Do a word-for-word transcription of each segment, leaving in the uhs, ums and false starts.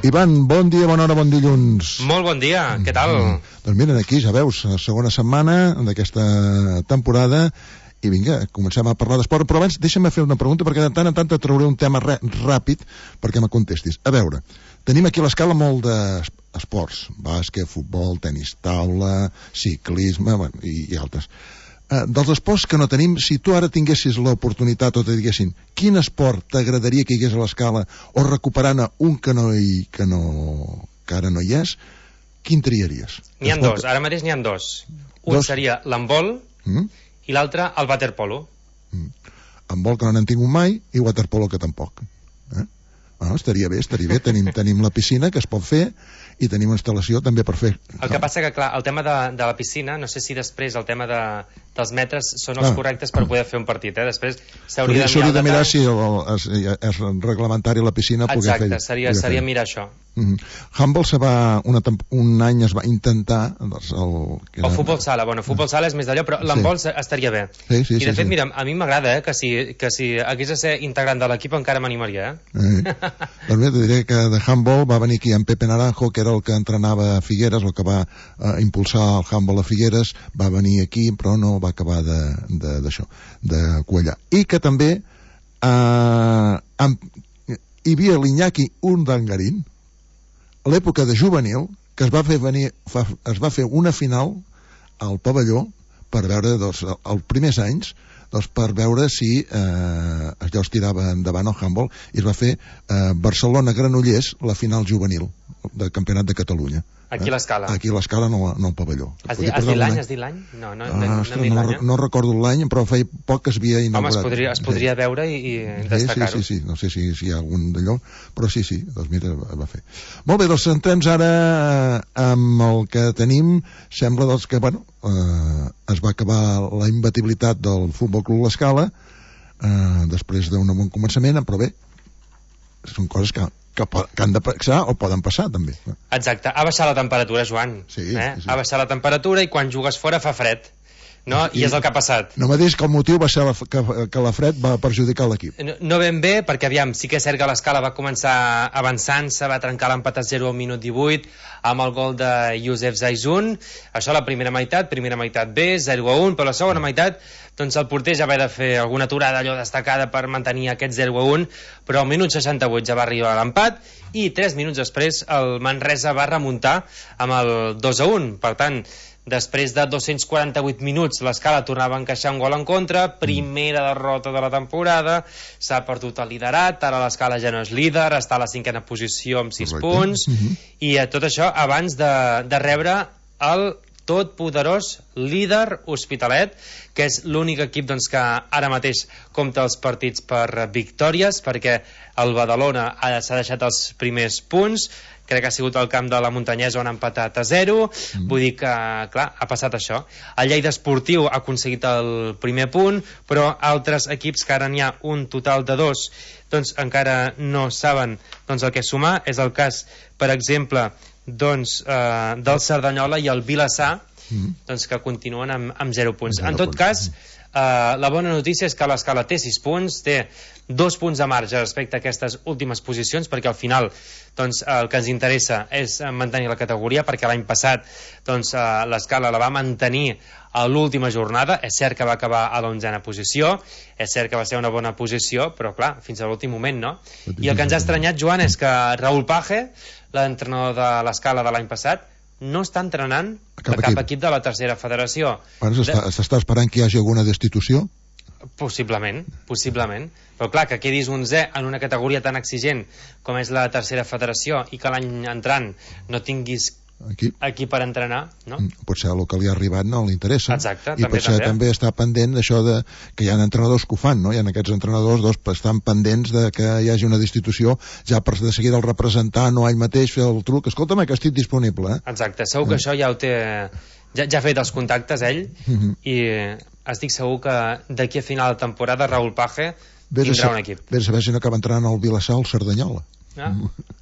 Ivan, bon dia, bona hora, bon dilluns. Molt bon dia, què tal? Mm. Doncs mira, aquí ja veus, segona setmana d'aquesta temporada, i vinga, comencem a parlar d'esport, però abans deixa'm fer una pregunta, perquè de tant en tant et trauré un tema ràpid perquè me contestis. A veure, tenim aquí a l'escala molt d'esports, bàsquet, futbol, tenis taula, ciclisme, bueno, i, i altres. Uh, dels esports que no tenim, si tu ara tinguessis l'oportunitat o te diguessin quin esport t'agradaria que hi hagués a l'escala o recuperant un que, no hi, que, no, que ara no hi és, quin triaries? N'hi ha dos, ara mateix n'hi ha dos. Un dos? Seria l'handbol mm? i l'altre el waterpolo. Mm. Handbol que no n'hem tingut mai i waterpolo que tampoc. Eh? Ah, estaria bé, estaria bé. Tenim, tenim la piscina que es pot fer i tenim una instal·lació també per fer. El que passa que, clar, el tema de, de la piscina, no sé si després el tema de, dels metres són els ah. correctes per poder fer un partit, eh? Després s'hauria de mirar, de mirar si el, el, és, és reglamentari la piscina. Exacte, fer, seria, seria mirar això. Mm-hmm. Handball se va una, un any es va intentar doncs, el, que era... el futbol sala, bueno, futbol sala és més d'allò, però l'handball sí. estaria bé. Sí, sí, i de sí, fet, sí. mira, a mi m'agrada eh, que, si, que si hagués de ser integrant de l'equip encara m'animaria. Eh? Eh. Doncs bé, te diré que de handball va venir aquí en Pepe Naranjo, que era el que entrenava a Figueres, el que va eh, impulsar el handball a Figueres, va venir aquí, però no va acabar d'això, de, de, de cuellar. I que també eh, amb, hi havia l'Iñaki Urdangarín, a l'època de juvenil, que es va fer venir, fa, es va fer una final al pavelló per veure, doncs, els primers anys, doncs, per veure si eh, allò es tirava endavant el handball, i es va fer eh, Barcelona-Granollers, la final juvenil del Campionat de Catalunya. Aquí a l'escala. Aquí a l'escala, no, no al pavelló. Has dit l'any? Has dit l'any? No, no, no, ah, no, no, no, no recordo l'any, però feia poc que es havia inaugurat. Home, es podria, es podria veure i, i destacar-ho. Sí, sí, sí, no sé si, si hi ha algun d'allò, però sí, sí, doncs mira, va fer. Molt bé, doncs centrem ara amb el que tenim. Sembla doncs, que, bueno, eh, es va acabar la imbatibilitat del Futbol Club L'Escala eh, després d'un bon començament, però bé, són coses que Que, que han de passar o poden passar també. Exacte, ha baixat la temperatura, Joan. Sí, eh? sí, sí. Ha baixat la temperatura i quan jugues fora fa fred, no? I, I és el que ha passat. No m'ha dit que el motiu va ser la, que, que la fred va perjudicar l'equip. No, no ben bé, perquè aviam, sí que és cert que l'escala va començar avançant-se, va trencar l'empat a zero al minut divuit amb el gol de Youssef Zaizun. Això la primera meitat, primera meitat bé, zero a un, però la segona meitat doncs el porter ja va de fer alguna aturada allò destacada per mantenir aquest zero a un, però al minut seixanta-vuit ja va arribar l'empat i tres minuts després el Manresa va remuntar amb el dos a un. Per tant, després de dos-cents quaranta-vuit minuts l'Escala tornava a encaixar un gol en contra, primera derrota de la temporada, s'ha perdut el liderat, ara l'Escala ja no és líder, està a la cinquena posició amb sis punts, uh-huh. i eh, tot això abans de, de rebre el tot poderós líder Hospitalet, que és l'únic equip doncs, que ara mateix compta els partits per victòries, perquè el Badalona s'ha deixat els primers punts, crec que ha sigut el camp de la Muntanyesa on ha empatat a zero, mm. vull dir que, clar, ha passat això. El Lleida Esportiu ha aconseguit el primer punt, però altres equips, que ara n'hi ha un total de dos, doncs encara no saben doncs, el que sumar. És el cas, per exemple, doncs, eh, del Cerdanyola i el Vilassar, mm. doncs, que continuen amb, amb zero punts. zero en tot punts. cas, eh, la bona notícia és que l'Escala té sis punts, té dos punts de marge respecte a aquestes últimes posicions, perquè al final doncs, el que ens interessa és mantenir la categoria, perquè l'any passat doncs, eh, l'Escala la va mantenir a l'última jornada. És cert que va acabar a l'onzena posició, és cert que va ser una bona posició, però clar, fins a l'últim moment no. I el que ens ha estranyat, Joan, és que Raúl Page, l'entrenador de l'Escala de l'any passat, no està entrenant a cap, a cap equip. equip de la tercera federació. Bueno, s'està esperant que hi hagi alguna destitució? Possiblement, possiblement. Però clar, que quedis onzè en una categoria tan exigent com és la tercera federació i que l'any entrant no tinguis aquí, aquí per entrenar, no? Potser el que li ha arribat no li interessa. Exacte, i també, potser també. també està pendent d'això de que hi ha entrenadors que ho fan, no? Hi ha aquests entrenadors doncs, estan pendents de que hi hagi una destitució, ja per de seguida el representant o ell mateix fer el truc, escolta'm que estic disponible, eh? Exacte, segur que eh. això ja ho té, ja, ja ha fet els contactes ell, uh-huh. i estic segur que d'aquí a final de temporada Raúl Page tindrà un equip. Vés a saber si no acaba entrant al Vilassar al Cerdanyola. Ah,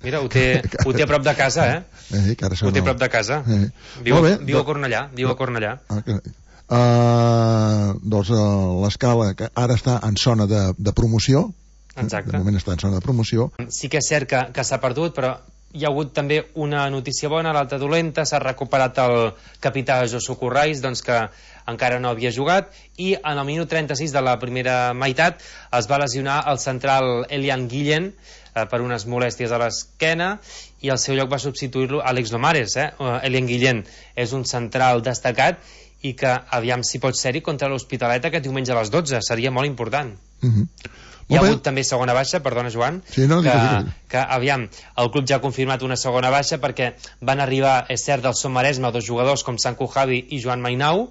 mira, ho té, ho té a prop de casa, eh? eh ho té a prop de casa. Eh. Viu, bé, viu a Cornellà, viu a Cornellà. Ah, uh, doncs uh, l'Escala, que ara està en zona de, de promoció. Exacte. De moment està en zona de promoció. Sí que és cert que, que s'ha perdut, però hi ha hagut també una notícia bona, l'altra dolenta. S'ha recuperat el capità Josu Corrais, doncs que encara no havia jugat, i en el minut trenta-sis de la primera meitat es va lesionar el central Elian Guillén eh, per unes molèsties a l'esquena, i al seu lloc va substituir-lo Àlex Lomares. eh? Elian Guillén és un central destacat i que aviam si pot ser-hi contra l'Hospitalet aquest diumenge a les dotze, seria molt important. Mm-hmm. Hi ha hagut també segona baixa, perdona Joan, sí, no, que, digue, digue. que aviam, el club ja ha confirmat una segona baixa perquè van arribar, és cert, del Son Maresme dos jugadors com Sanku Javi i Joan Mainau,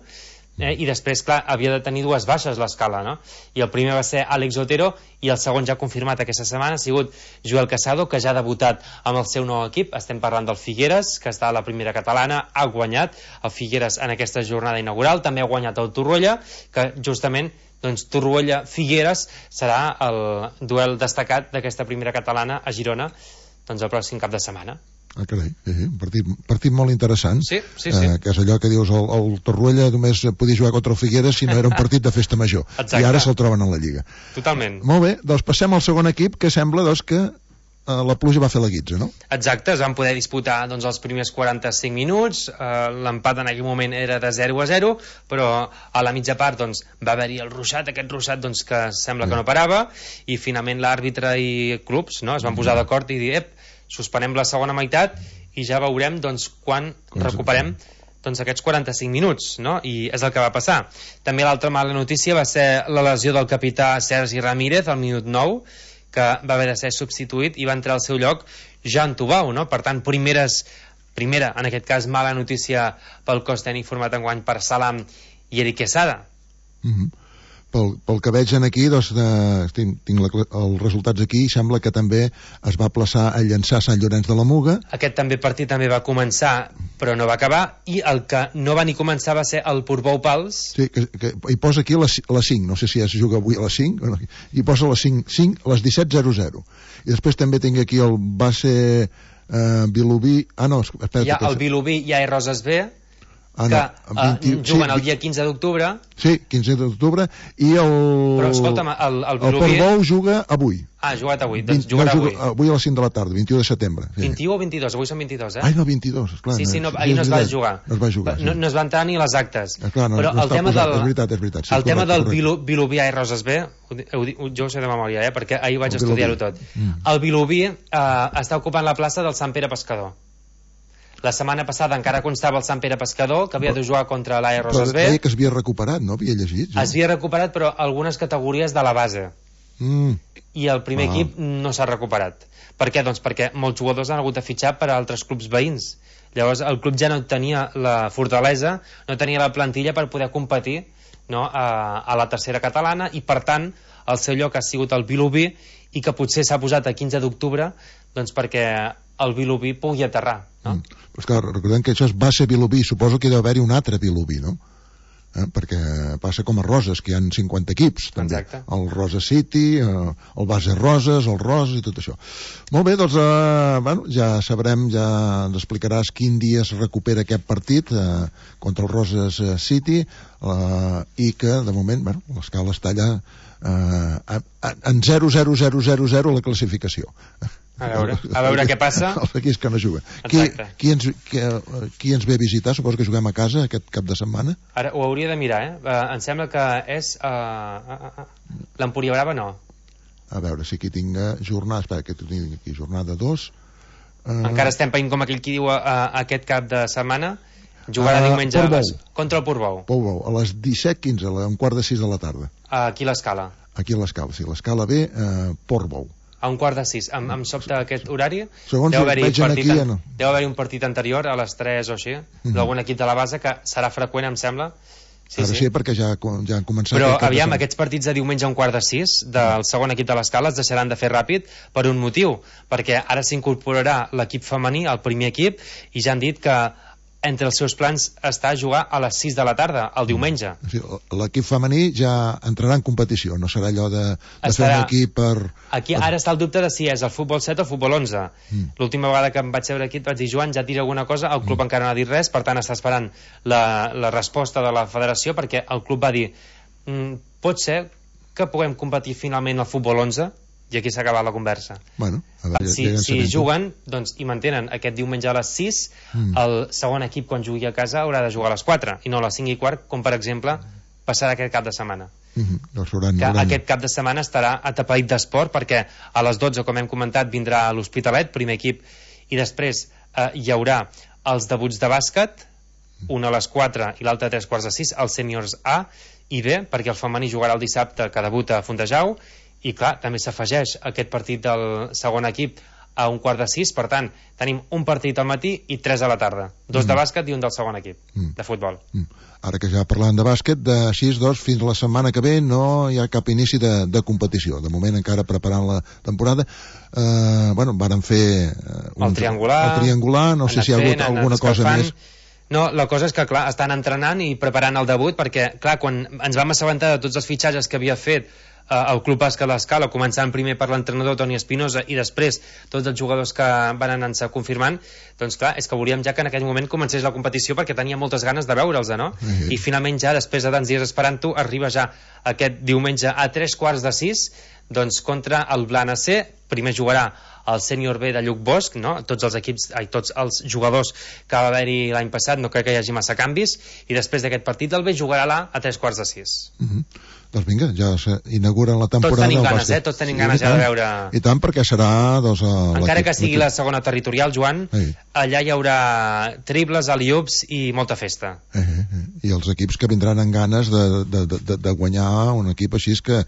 eh, i després, clar, havia de tenir dues baixes l'escala, no? I el primer va ser Àlex Otero, i el segon ja confirmat aquesta setmana ha sigut Joel Casado, que ja ha debutat amb el seu nou equip. Estem parlant del Figueres, que està a la primera catalana, ha guanyat el Figueres en aquesta jornada inaugural, també ha guanyat el Torroella, que justament doncs Torroella-Figueres serà el duel destacat d'aquesta primera catalana a Girona doncs el pròxim cap de setmana. Ah, carai, sí, sí, un partit, partit molt interessant. Sí, sí, sí. Eh, que és allò que dius, el, el Torroella només podia jugar contra el Figueres si no era un partit de festa major. Exacte. I ara se'l troben a la Lliga. Totalment. Molt bé, doncs passem al segon equip, que sembla doncs, que eh, la pluja va fer la guitza, no? Exacte, es van poder disputar doncs, els primers quaranta-cinc minuts, eh, l'empat en aquell moment era de zero a zero, però a la mitja part doncs, va haver-hi el ruixat, aquest ruixat doncs, que sembla que no parava, i finalment l'àrbitre i clubs no, es van posar d'acord i dir, ep, suspenem la segona meitat i ja veurem doncs, quan recuperem doncs, aquests quaranta-cinc minuts, no? I és el que va passar. També l'altra mala notícia va ser la lesió del capità Sergi Ramírez al minut nou, que va haver de ser substituït i va entrar al seu lloc Jan Tubau, no? Per tant, primeres, primera, en aquest cas, mala notícia pel cos tècnic format enguany per Salam i Eric Quesada. Mm-hmm. Pel, pel que veig aquí, doncs, de, tinc, tinc la, els resultats aquí, sembla que també es va plaçar el Llançà Sant Llorenç de la Muga. Aquest també partit també va començar, però no va acabar, i el que no va ni començar va ser el Portbou Pals. Sí, que, que, hi posa aquí les, les cinc, no sé si es juga avui a les cinc, no, hi posa les cinc, cinc a les disset zero zero. I després també tinc aquí el base eh, Vilobí... Ah, no, espera. Hi ha el Vilobí i a Roses B, Ah, que no, vint, uh, juguen sí, el dia quinze d'octubre. Sí, quinze d'octubre, i el... Però escolta'm, el, el Vilobí... El Portbou juga avui. Ah, ha jugat avui, doncs jugarà no, avui. Avui a les cinc de la tarda, vint-i-u de setembre. Sí. vint-i-u o vint-i-dos? Avui són vint-i-dos, eh? Ai, no, vint-i-dos, esclar. Sí, sí, no, ahir no es va jugar. No es va jugar, sí. No, no es van entrar ni les actes. Esclar, no, però no el tema posat, del... És veritat, és veritat. Sí, el correcte, tema del correcte. Vilobí a Roses B, ho, ho, ho, jo ho sé de memòria, eh? Perquè ahir vaig estudiar-ho tot. Mm. El Vilobí eh, està ocupant la plaça del Sant Pere Pescador. La setmana passada encara constava el Sant Pere Pescador, que havia de jugar contra l'A E Roses B. Però que es havia recuperat, no? Havia llegit. Es havia recuperat, però algunes categories de la base. Mm. I el primer ah. equip no s'ha recuperat. Per què? Doncs perquè molts jugadors han hagut de fitxar per a altres clubs veïns. Llavors el club ja no tenia la fortalesa, no tenia la plantilla per poder competir, no, a, a la tercera catalana, i per tant el seu lloc ha sigut el Vilobí, i que potser s'ha posat a quinze d'octubre doncs perquè el Vilobí pugui aterrar, no? Mm. Però és que recordem que això és base Vilobí, suposo que deu haver-hi un altre Vilobí, no? Eh? Perquè passa com a Roses, que hi ha cinquanta equips també. Exacte. El Rosa City, eh, el base Roses, el Roses i tot això. Molt bé, doncs eh, bueno, ja sabrem, ja ens explicaràs quin dia es recupera aquest partit eh, contra el Roses City, eh, i que de moment, bueno, l'escala està allà eh, en zero zero zero zero zero la classificació. A veure, a veure què passa. Els equips que no juguen. Qui, qui, ens, qui, qui ens ve a visitar? Suposo que juguem a casa aquest cap de setmana. Ara ho hauria de mirar, eh? Uh, em sembla que és uh, uh, uh, l'Empúria Brava, no. A veure si aquí tinc jornada. Espera, que tinc aquí jornada dos. Uh... Encara estem païnt com aquell qui diu uh, aquest cap de setmana. Jugarà uh, diumenge les, contra el Portbou. Portbou, a les disset quinze, a un quart de sis de la tarda. Uh, aquí a l'Escala. Aquí a l'Escala, sí. L'Escala ve uh, Portbou. A un quart de sis. Em, em sobta aquest horari. Segons deu haver-hi aquí, an... ja no. deu haver un partit anterior a les tres o així, mm-hmm. d'algun equip de la base, que serà freqüent, em sembla. Sí, Ara sí, sí, perquè ja, ja han començat... Però aviam, aquests partits de diumenge a un quart de sis del segon equip de l'Escala es deixaran de fer ràpid per un motiu, perquè ara s'incorporarà l'equip femení al primer equip, i ja han dit que entre els seus plans està a jugar a les sis de la tarda, el diumenge. Sí, l'equip femení ja entrarà en competició, no serà allò de, de Estarà... fer un equip per... Aquí ara està el dubte de si és el futbol set o el futbol onze. Mm. L'última vegada que em vaig veure aquí et vaig dir, Joan, ja et diré alguna cosa, el club mm. encara no ha dit res, per tant està esperant la, la resposta de la federació, perquè el club va dir, mm, pot ser que puguem competir finalment al futbol onze, I aquí s'ha acabat la conversa. Bueno, a veure, si ja si juguen doncs, i mantenen aquest diumenge a les sis, mm. el segon equip quan jugui a casa haurà de jugar a les quatre i no a les cinc i quart, com per exemple passarà aquest cap de setmana. Mm-hmm. Doncs hauran, que hauran... aquest cap de setmana estarà atapeït d'esport, perquè a les dotze, com hem comentat, vindrà l'Hospitalet, primer equip, i després eh, hi haurà els debuts de bàsquet, un a les quatre i l'altre a tres quarts de sis, els sèniors A i B, perquè el femení jugarà el dissabte, que debuta a Fontejau, i clar, també s'afegeix aquest partit del segon equip a un quart de sis, per tant, tenim un partit al matí i tres a la tarda, dos mm. de bàsquet i un del segon equip, mm. de futbol. Mm. Ara que ja parlàvem de bàsquet, de sis dos fins la setmana que ve no hi ha cap inici de, de competició, de moment encara preparant la temporada. Eh, bueno, varen fer eh, un, el triangular, el triangular, no sé si hi ha hagut alguna cosa més. No, la cosa és que, clar, estan entrenant i preparant el debut, perquè, clar, quan ens vam assabentar de tots els fitxatges que havia fet eh, el Club Bàsquet l'Escala, començant primer per l'entrenador Toni Espinosa i després tots els jugadors que van anar-se confirmant, doncs clar, és que volíem ja que en aquell moment comencés la competició perquè tenia moltes ganes de veure'ls, no? Mm-hmm. I finalment ja, després de tants dies esperant-ho, arriba ja aquest diumenge a tres quarts de sis, doncs contra el Blana C. Primer jugarà el sènior B de Lluc Bosch, no? Tots els equips, ai, tots els jugadors que va haver-hi l'any passat, no crec que hi hagi massa canvis, i després d'aquest partit el B jugarà l'A a tres quarts de sis. Mm-hmm. Doncs vinga, ja s'inauguren la temporada. Tots tenim ganes, eh? Tots tenim sí, ganes ja de veure... I tant, perquè serà... Doncs, encara que sigui la segona territorial, Joan, sí. Allà hi haurà triples, alley-oops i molta festa. Eh, eh. I els equips que vindran amb ganes de, de, de, de guanyar un equip així que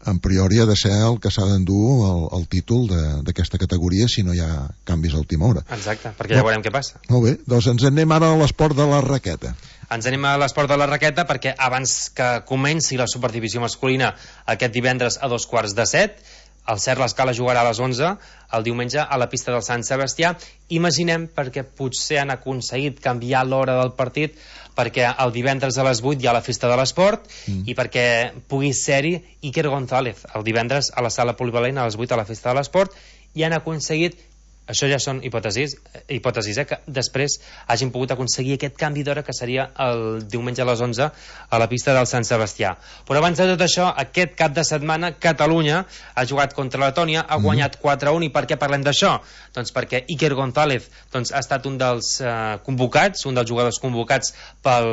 en priori ha de ser el que s'ha d'endur el, el títol d'aquesta categoria si no hi ha canvis a última hora. Exacte, perquè ja no. veurem què passa. Molt bé, doncs ens anem ara a l'esport de la raqueta. Ens anem a l'esport de la raqueta perquè abans que comenci la superdivisió masculina aquest divendres a dos quarts de set, el Cert l'Escala jugarà a les onze el diumenge a la pista del Sant Sebastià. Imaginem, perquè potser han aconseguit canviar l'hora del partit, perquè el divendres a les vuit hi ha la festa de l'esport mm. i perquè pugui ser-hi Iker González el divendres a la sala polivalent a les vuit a la festa de l'esport, i han aconseguit, això ja són hipòtesis, hipòtesis eh, que després hagin pogut aconseguir aquest canvi d'hora que seria el diumenge a les onze a la pista del Sant Sebastià. Però abans de tot això, aquest cap de setmana Catalunya ha jugat contra Letònia, ha guanyat quatre a un. I per què parlem d'això? Doncs perquè Iker González doncs, ha estat un dels eh, convocats, un dels jugadors convocats pel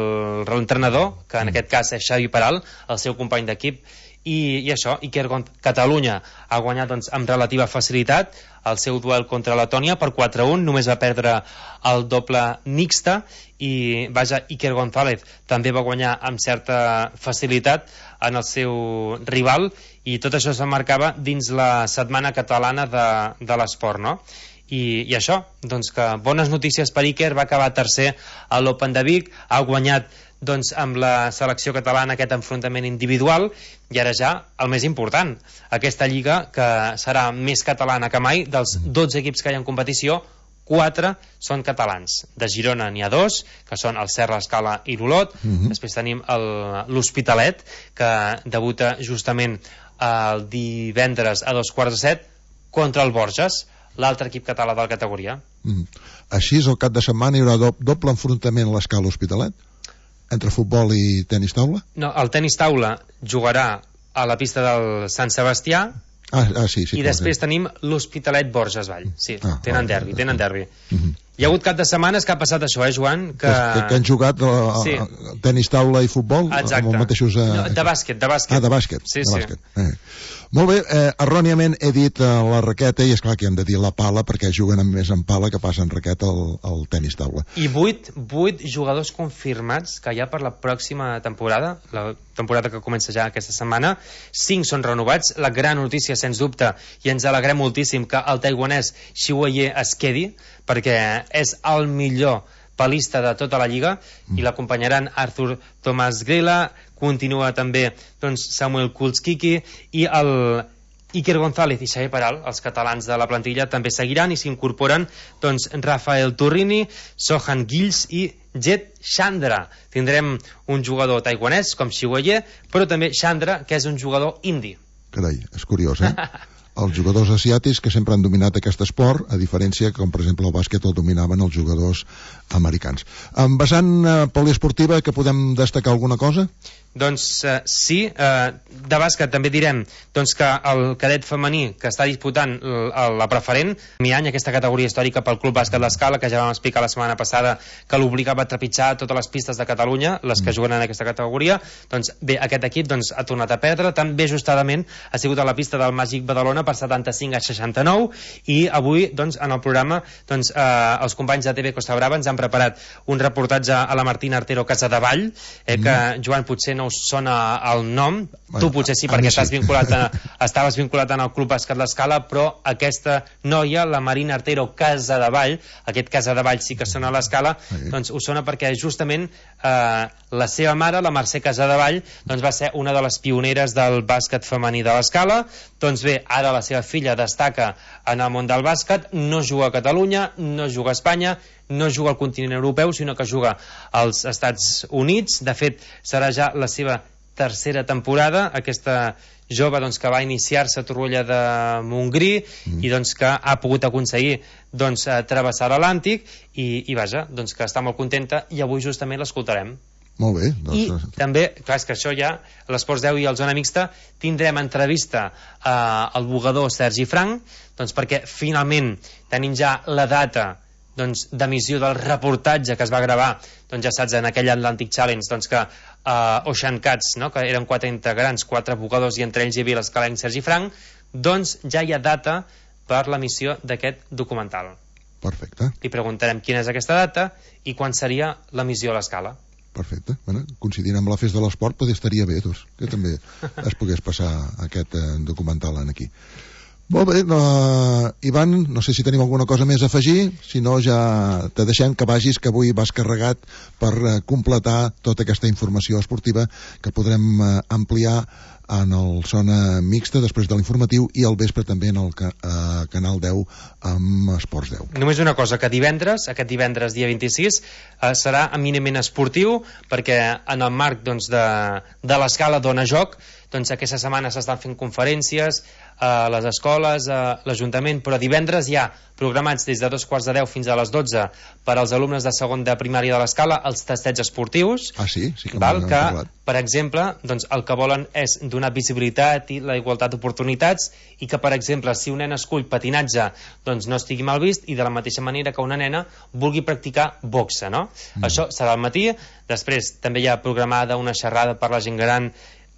l'entrenador, que en aquest cas és Xavi Peral, el seu company d'equip. I, i això, Iker González, Catalunya ha guanyat doncs, amb relativa facilitat el seu duel contra Letònia per quatre a un, només va perdre el doble mixta, i vaja, Iker González també va guanyar amb certa facilitat en el seu rival, i tot això s'emmarcava dins la setmana catalana de, de l'esport, no? I, i això, doncs que bones notícies per Iker, va acabar tercer a l'Open de Vic, ha guanyat doncs amb la selecció catalana aquest enfrontament individual, i ara ja el més important, aquesta lliga que serà més catalana que mai. Dels dotze equips que hi ha en competició, quatre són catalans. De Girona n'hi ha dos, que són el Cert, l'Escala i l'Olot. Mm-hmm. Després tenim l'Hospitalet, que debuta justament el divendres a dos quarts de set contra el Borges, l'altre equip català de la categoria. Mm. Així és, el cap de setmana hi haurà do doble enfrontament a l'Escala-Hospitalet? Entre futbol i tenis taula? No, el tenis taula jugarà a la pista del Sant Sebastià. Ah, ah sí, sí. I després sí. tenim l'Hospitalet Borges Vall. Sí, ah, tenen derbi, tenen derbi. Uh-huh. Hi ha hagut cap de setmanes que ha passat això, eh, Joan? Que, que, que han jugat a, a, sí. a tenis taula i futbol? Exacte. Amb els mateixos, a... no, de bàsquet, de bàsquet. Ah, de bàsquet. Sí, de sí. Bàsquet. Eh. Molt bé, eh, erròniament he dit eh, la raqueta, i és clar que hem de dir la pala perquè juguen amb més en pala que passa en raqueta al, al tenis taula. I vuit, vuit jugadors confirmats que hi ha per la pròxima temporada, la temporada que comença ja aquesta setmana. Cinc són renovats. La gran notícia, sens dubte, i ens alegrem moltíssim que el taiwanès Xiuye es quedi, perquè és el millor palista de tota la lliga, mm. i l'acompanyaran Arthur Tomás Grela, continua també doncs, Samuel Kulskiki, i el Iker González i Xavi Peral, els catalans de la plantilla, també seguiran, i s'incorporen doncs, Rafael Turrini, Sohan Gills i Jet Chandra. Tindrem un jugador taiwanès com Xiuye, però també Chandra, que és un jugador indi. Carai, és curiós, eh? Els jugadors asiàtics que sempre han dominat aquest esport, a diferència que, com per exemple el bàsquet el dominaven els jugadors americans. En vessant eh, poliesportiva, que podem destacar alguna cosa? Doncs eh, sí, eh, de bàsquet també direm doncs, que el cadet femení que està disputant la preferent, mi any, aquesta categoria històrica pel Club Bàsquet L'Escala, que ja vam explicar la setmana passada que l'obligava a trepitjar totes les pistes de Catalunya, les que juguen en aquesta categoria, doncs bé, aquest equip doncs, ha tornat a perdre, tan bé justament ha sigut a la pista del Màgic Badalona per setanta-cinc a seixanta-nou, i avui doncs, en el programa doncs, eh, els companys de T V Costa Brava ens han preparat un reportatge a la Martina Artero Casadevall, eh, que mm. Joan potser no us sona el nom, bueno, tu potser sí perquè sí. Estàs vinculat a, estaves vinculat en el Club Bàsquet L'Escala, però aquesta noia, la Marina Artero Casadevall, aquest Casadevall sí que sona a l'Escala, sí. Doncs us sona perquè justament eh, la seva mare, la Mercè Casadevall, doncs va ser una de les pioneres del bàsquet femení de l'Escala. Doncs bé, ara la seva filla destaca en el món del bàsquet, no juga a Catalunya, no juga a Espanya, no juga al continent europeu, sinó que juga als Estats Units. De fet, serà ja la seva tercera temporada, aquesta jove doncs, que va iniciar-se a Torroella de Montgrí mm. i doncs, que ha pogut aconseguir doncs, travessar l'Atlàntic i, i vaja, doncs, que està molt contenta, i avui justament l'escoltarem. Molt bé. Doncs... I també, clar, és que això ja, a l'Esports deu i al Zona Mixta, tindrem entrevista eh, al bugador Sergi Frank, doncs perquè finalment tenim ja la data doncs, d'emissió del reportatge que es va gravar, doncs ja saps, en aquell Atlantic Challenge, doncs que uh, Ocean Cats, no? Que eren quatre integrants, quatre bugadors, i entre ells hi havia l'escalenc Sergi Frank, doncs ja hi ha data per l'emissió d'aquest documental. Perfecte. Li preguntarem quina és aquesta data i quan seria l'emissió a l'Escala. Perfecte. Bueno, coincidint amb la festa de l'esport, potser estaria bé, doncs, que també es pogués passar aquest eh, documental en aquí. Molt bé, no, Ivan, no sé si tenim alguna cosa més a afegir, si no ja te deixem que vagis, que avui vas carregat per eh, completar tota aquesta informació esportiva que podrem eh, ampliar en el Zona Mixta després de l'informatiu i al vespre també en el ca eh, Canal deu amb Esports deu. Només una cosa, que divendres, aquest divendres dia vint-i-sis, eh, serà eminentment esportiu, perquè en el marc doncs, de, de l'Escala Dona Joc, doncs aquesta setmana s'estan fent conferències a les escoles, a l'Ajuntament, però divendres hi ha programats des de dos quarts de deu fins a les dotze per als alumnes de segon de primària de l'Escala els tastets esportius. Ah, sí? Sí que val, m'han que, parlat. per exemple, doncs, el que volen és donar visibilitat i la igualtat d'oportunitats, i que, per exemple, si un nen escull patinatge, doncs no estigui mal vist, i de la mateixa manera que una nena vulgui practicar boxa, no? Mm. Això serà al matí. Després també hi ha programada una xerrada per la gent gran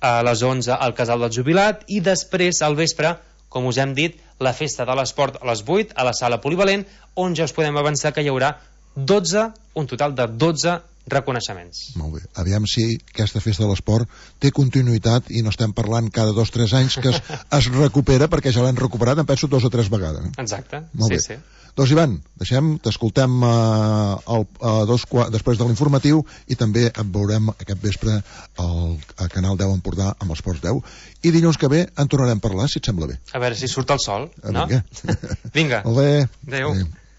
a les onze al Casal del Jubilat, i després al vespre, com us hem dit, la festa de l'esport a les vuit a la sala polivalent, on ja us podem avançar que hi haurà dotze, un total de dotze reconeixements. Molt bé. Aviam si aquesta festa de l'esport té continuïtat i no estem parlant cada dos o tres anys que es, es recupera, perquè ja l'hem recuperat, em penso, dos o tres vegades. Exacte. Molt sí, bé. sí. Doncs Ivan, deixem, t'escoltem uh, el, uh, dos, després de l'informatiu, i també et veurem aquest vespre al, al Canal deu Empordà amb Esports deu, i dilluns que ve en tornarem a parlar, si et sembla bé. A veure si surt el sol, a no? Vinga. Vinga. Molt bé. Adéu. Adéu.